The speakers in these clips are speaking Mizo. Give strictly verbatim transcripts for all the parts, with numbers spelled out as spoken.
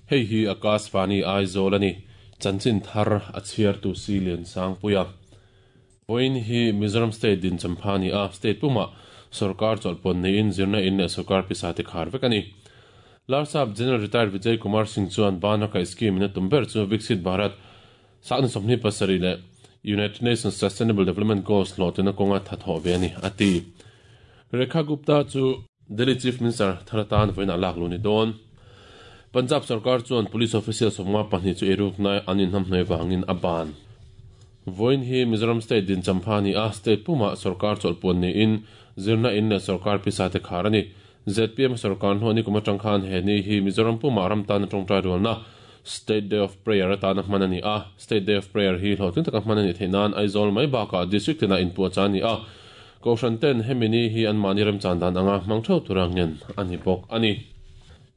Hei hi Akashvani Aizawl ani chanchin thar a chhiar tu si lian sang puia voin hi Mizoram State din champhani a state puma sarkar cholpon nei in zirna in le sarkar pisa te khar vek ani Larsap General Retired Vijay Kumar Singh chuan bana ka scheme na tumber chu Viksit Bharat sang somni pasari le United Nations Sustainable Development Goals lo tena konga thatho ve ani ati Rekha Gupta chu Delhi Chief Minister tharatan voin alak luni don Punjab sarkar chuan police official somnga pahnih chu eruk nai anin ham hnai wangin aban voin hi Mizoram State din champhani a state puma sarkar cholpon ni in zirna in le sarkar pisa te kharani Z P M sarkar ho ni kuma tangkhan he ni hi Mizoram puma ram tan tongtrai rolna State Day of Prayer atana manani a State Day of Prayer hi hlotin taka manani theinan Aizawl mai baka district na in pu chani a koshan ten hemini hi an mani ram chandan anga mangtho turangen ani bok ani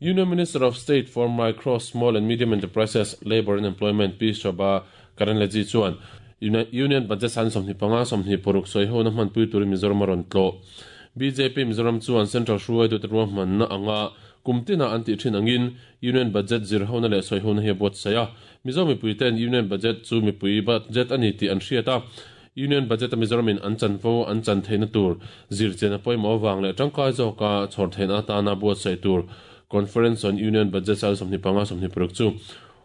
Union Minister of State for Micro, Small and Medium Enterprises, Labor and Employment P. Shobha Karandlaje chuan Union Budget san somni panga somni poruk soi ho na man pui tur Mizoram ron tlo B J P Mizoram chuan Central hruai tu ruam man na anga kumtina anti thin angin Union Budget zir ho na le soi ho na he bot saya Mizoram pui ten Union Budget chu mi pui budget ani ti an hriata Union Budget Mizoram in an chan fo an chan theina tur zir chena poimo wang le tangkai zo ka chhor theina ta na bot sai tur Conference on Union Budget sal somni panga somni prok chu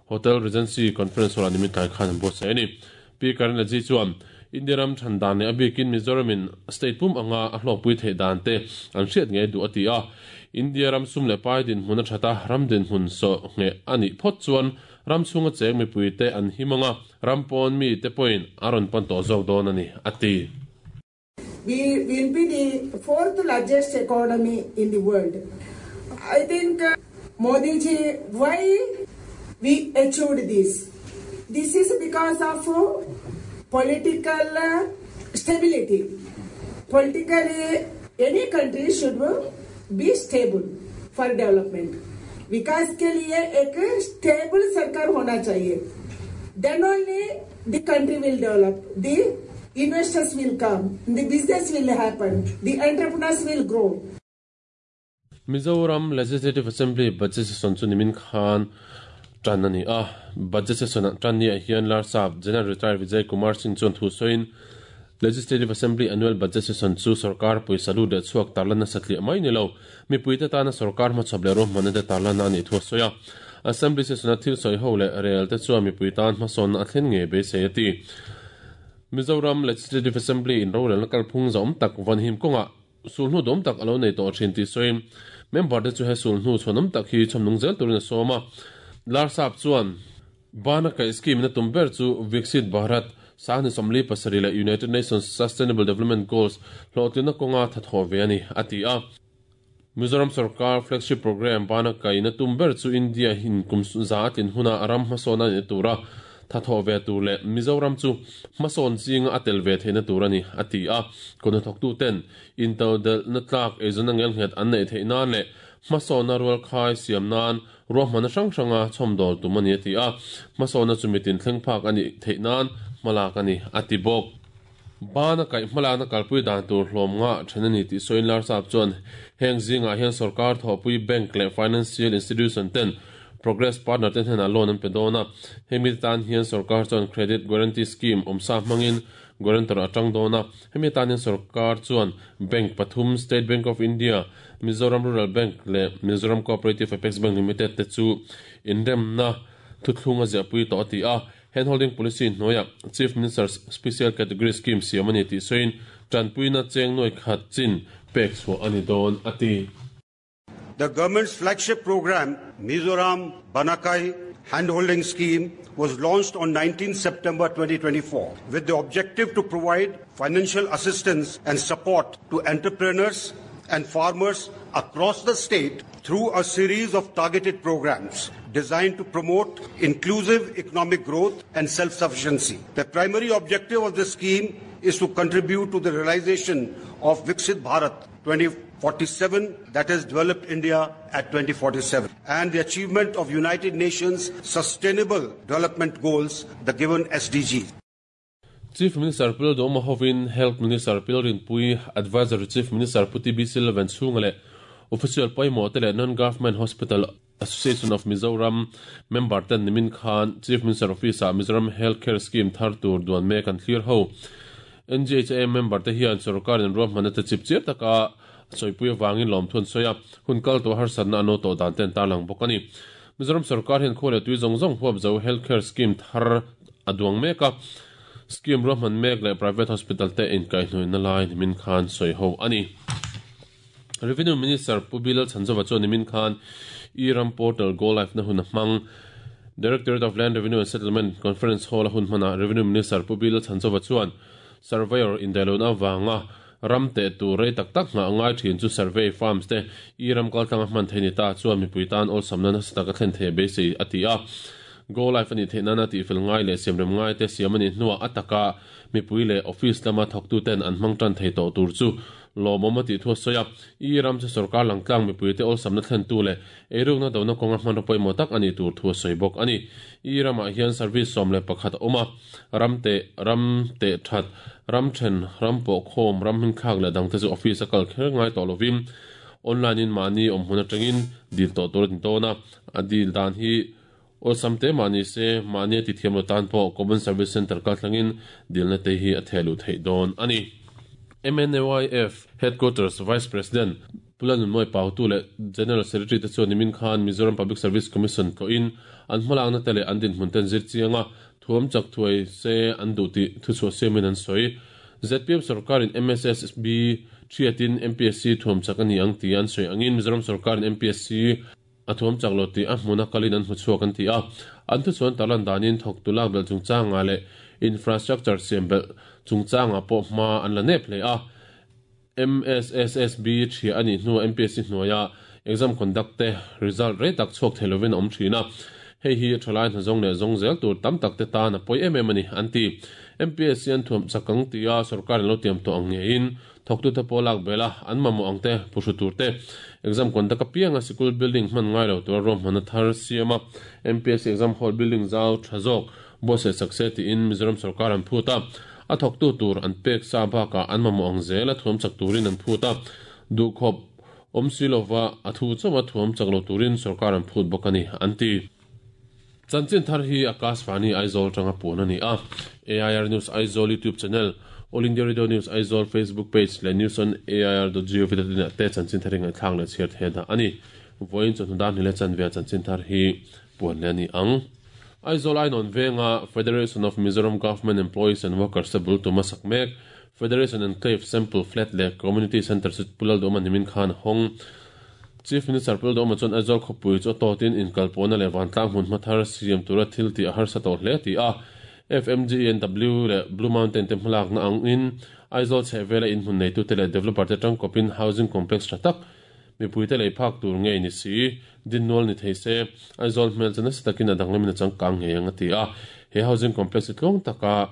Hotel Regency Conference hall animi tai khan bot sai ni P Karandlaje chuan India ram thandan ne abikin Mizoram in state pum anga a hlok pui thei dan te an hriat nge du ati a India ram sum le pai din hmun a thata ram din hmun so nge ani phot chuan ram chunga cheng mi pui te an himanga ram pon mi te point aron pan to zawk dawn ani ati. We will be the fourth largest economy in the world. I think uh, Modi ji, why we achieved this? This is because of uh, political uh, stability. Politically, any country should be stable for development. विकास के लिए एक stable सरकार होना चाहिए. Then only the country will develop, the investors will come, the business will happen, the entrepreneurs will grow. Mizoram Legislative Assembly budget session chu nimin khan tanani a budget session tanni a hian Larsap General Retired Vijay Kumar Singh chuan thu soin Legislative Assembly annual budget session chu sarkar poisa lu de chuak tarlana satli mai ni lo mi puite tana sarkar ma chable ro manade tarlana ani thu soya Assembly session a thil soi ho le rel te chu mi puitan ma son a thlen nge be se ati Mizoram Legislative Assembly in ro rel kal phung zom tak van him konga sulnu dom tak alo nei to thin ti soin member te chu he sulnu chhonom tak hi chomnung zel turin soma Larsap chuan bana ka scheme na tumber chu Viksit Bharat sahni somli pasari la United Nations Sustainable Development Goals hlotina konga thatho ve ani ati a Mizoram Sarkar flagship program bana ka ina tumber chu India hin kum za tin huna aram hmasona ni tura thatho ve tu le Mizoram chu hmason ching atel ve theina turani ati a kono thok tu ten intodel na tlak ezon angel nget an nei theina le hmasona rual khai siam nan ruahmana hrang hranga chhomdol tumani ati a hmasona chumitin thlengphak ani theinan malak ani ati bok bana kai hmalana kalpui dan tur hlawm nga thenani ti soin Larsap chuan heng zinga hian sarkar thawpui bank le financial institution ten progress partner ten hena loan an pedona hemi tan hian sarkar chuan credit guarantee scheme omsa hmangin guarantor atang dona hemi tan hian sarkar chuan bank pathum State Bank of India Mizoram Rural Bank le Mizoram Cooperative Apex Bank Limited te chu indemna thuthlunga zia pui to ati a handholding policy noya Chief Minister's Special Category Scheme siamani ti soin tanpuina cheng noi khat chin pek chu ani don ati. The government's flagship program, Mizoram Banakai Handholding Scheme, was launched on nineteenth September twenty twenty-four with the objective to provide financial assistance and support to entrepreneurs and farmers across the state through a series of targeted programs designed to promote inclusive economic growth and self-sufficiency. The primary objective of this scheme is to contribute to the realization of Viksit Bharat twenty forty-seven, that is developed India at twenty forty-seven, and the achievement of United Nations Sustainable Development Goals, the given S D Gs. Chief Minister Pil Doma Hovin, Health Minister Pil Rinpui, Advisor Chief Minister Puti B. Silvan Chungale, Official Paimo Tele Non-Government Hospital Association of Mizoram member ten nimin khan Chief Minister Office a Mizoram Healthcare Scheme thar tur duan mek an thlir ho. N G H A member te hian sarkar in ruahmanna te chip chip taka soipui awangin lawmthun sawi a, hun kal tawh harsatna an aw tawh dan ten tarlang bawk a ni. Mizoram sarkar hian khaw leh tui zawng zawng huap zo healthcare scheme thar a duang mek a, scheme ruahman mek leh private hospital te inkaihhnawihna lai nimin khan sawi ho a ni. Revenue Minister Pu Bilal Chanzova chuan nimin khan E-Ram Portal Go Live na hun a hmang. Directorate of Land Revenue and Settlement Conference Hall a hun hmana Revenue Minister Pu Bilal Chanzova chuan surveyor indailona awanga ram te tur rei tak tak nga ngai thin chu survey farms te E-Ram kaltlanga hman thei ni ta chuan mipui tan awlsamna nasa taka thlen thei beisei a ti a. Go Live ani theihna na tihfel ngai leh siamrem ngai te siam ani hnuah ataka mipui leh office lama thawktu ten an hmang tan thei tawh tur chu lawmawm a tih thu a sawi a. E-Ram chu sarkar langtlang mipui te awlsamna thlen tu leh eirukna dona kawnga hman pawimawh tak ani tur thu a sawi bawk ani. E-Ramah hian service sawm leh pakhat a awm a, ram te ram te that ram then ram pawh khawm ram hming thlak leh dang te chu office a kal kher ngai tawh lovin online in mahni awm hmun atangin dil tawh tur a ni dawn a. A dil dan hi awlsam te mahni se mahni a ti thiam lo tan pawh Common Service Center kal thlangin dilna te hi a thehlu theih dawn ani. M N A Y F Headquarters Vice President Pulanun Moi Pautu leh General Secretary te chuan nimin khan Mizoram Public Service Commission tlawhin an hmalakna te leh an dinhmun ten zir chianga thuam chak thuai se an duh tih thuchhuah siamin an sawi. Z P M sarkarin M S S B thiatin M P S C thuam chak ani ang ti an sawi angin Mizoram sarkarin M P S C a thuam chak lo tih a hmuna kalin an hmuchhuak an ti a. An thuchuan tarlan danin thawk tu lak bel chungchanga leh infrastructure siam bel chungchanga pawh hma an la nep hle a. M S S S B thia ani hnu M P S C hnuaia exam conduct te result rei tak chhuak thei lovin a awm thin a. Hei hi thalai hnazawng leh zawng zel tur tam tak te tan a pawi em em ani an ti. M P S C an thuam chakang tia sarkar in lo tiam tawh ang ngein thawktu te pawh lak bela an mamawh ang te puhru tur te exam conduct a pianga sikul building hman ngai lo tur ruahmanna thar siam a. M P S C exam hall building zau tha zawk buatsaih sak se tiin Mizoram sarkar an phut a. A thawktu tur an pek sa bakah an mamawh ang zel a thuam chak turin an phut a. Duhkhawp awm si lova a thu chawma thuam chak lo turin sarkar an phut bawk ani an ti. Chanchin thar hi Akashvani Aizawl tanga puan ani a. A I R News Aizawl YouTube channel, All India Radio News Aizawl Facebook page leh news on A I R dot gov dot in ah te chanchin thar hi ngaihthlak leh chhiar the dah ani. Vawiin chawhnu dan hni leh chanve chanchin thar hi puan leh ani ang. Aizawl Ainon Venga Federation of Mizoram Government Employees and Workers te bul tuma sak mek Federation Enclave Sample Flat leh Community Center chu Pulal Dawma nimin khan hawng. Chief Minister Pulal Dawma chuan Aizawl khawpui chu a tawtin inkalpawhna leh vantlang hmun hma thar siam tura thil tih a harsa tawh hle ti a. F M G N W leh Blue Mountain te hmalakna angin Aizawl chhehvela inhmun neitu te leh developer te tangkawpin housing complex tha tak mipui te lei phak tur ngei ni si dinnual ni thei se Aizawl hmel chu nasa takin a danglamin a changkang ngei ang a ti a. He housing complex hi tlawng taka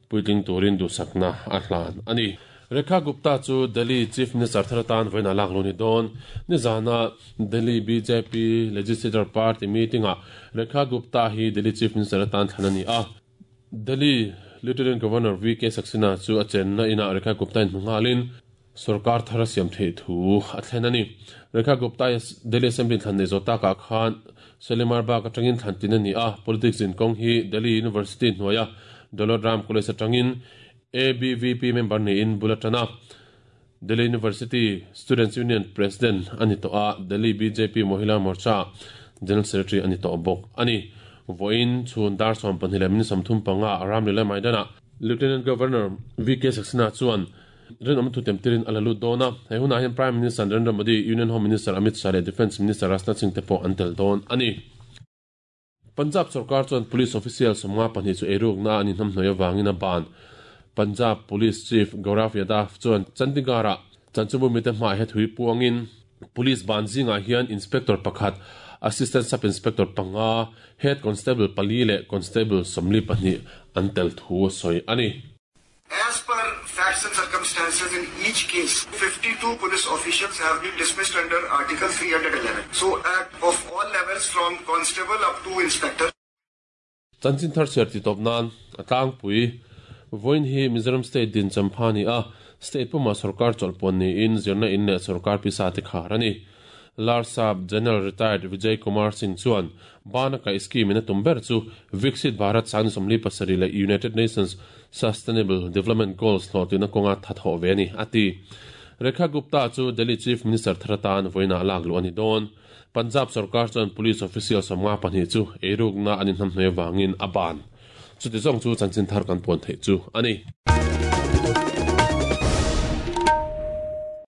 puitling turin duhsakna a hlan ani. Rekha Gupta chu Delhi Chief Minister thar atan vawiin a lak lo ni dawn. Nizana Delhi B J P Legislature Party meeting ah Rekha Gupta hi Delhi Chief Minister atan thlan ani a. Delhi Lieutenant Governor V K Saxena chu a chenna inah Rekha Gupta in hmu nghalin sarkar thar a siam theih thu a thlen ani. Rekha Gupta Delhi Assembly thlan nei zawh takah khan Shalimar Bagh atangin thlan tin ani a. Politics in kawng hi Delhi University hnuaia Daulat Ram College atangin A B V P member niin bul atana Delhi University Students Union President ani tawh a. Delhi B J P Mohila Morcha General Secretary ani tawh bawk ani. Vawiin chhun dar sawm pahnih leh min sawmthum panga Ramlila Maidana Lieutenant Governor V K Saxena chuan rinawm thu temtirin a la lut dawn a. He hunah hian Prime Minister Narendra Modi, Union Home Minister Amit Shah leh Defence Minister Rajnath Singh te pawh an tel dawn ani. Punjab sarkar chuan police official sawmnga pahnih chu eirukna an inhnamhnawih awangin a ban. Punjab Police Chief Gaurav Yadav chuan Chandigarh-ah chanchimbu mite hmaah he thui puangin police ban zingah hian inspector pakhat, assistant sub inspector panga, head constable pali leh constable sawmli pahnih an tel thu a sawi ani. As per facts and circumstances in each case, fifty-two police officials have been dismissed under Article three hundred eleven. So at of all levels from constable up to inspector. Chanchin thar chhiar ti tawp nan a tlangpui vawiin hi Mizoram State din champha ni a. State puma sarkar chawlhpawn niin zirna in leh sarkar pisa te khar ani. Larsap General Retired Vijay Kumar Singh chuan bana ka scheme in a tum ber chu Viksit Bharat sang somli pasari le United Nations Sustainable Development Goals hlawhtlina kawnga thatho ve ani ati. Rekha Gupta chu Delhi Chief Minister tharatan voina lak lu ani don. Punjab sarkar chuan police official samnga pahnih chu eiruk na anin hnam hnai wangin aban. Chuti zong chu chanchin thar kan pon thei chu ani.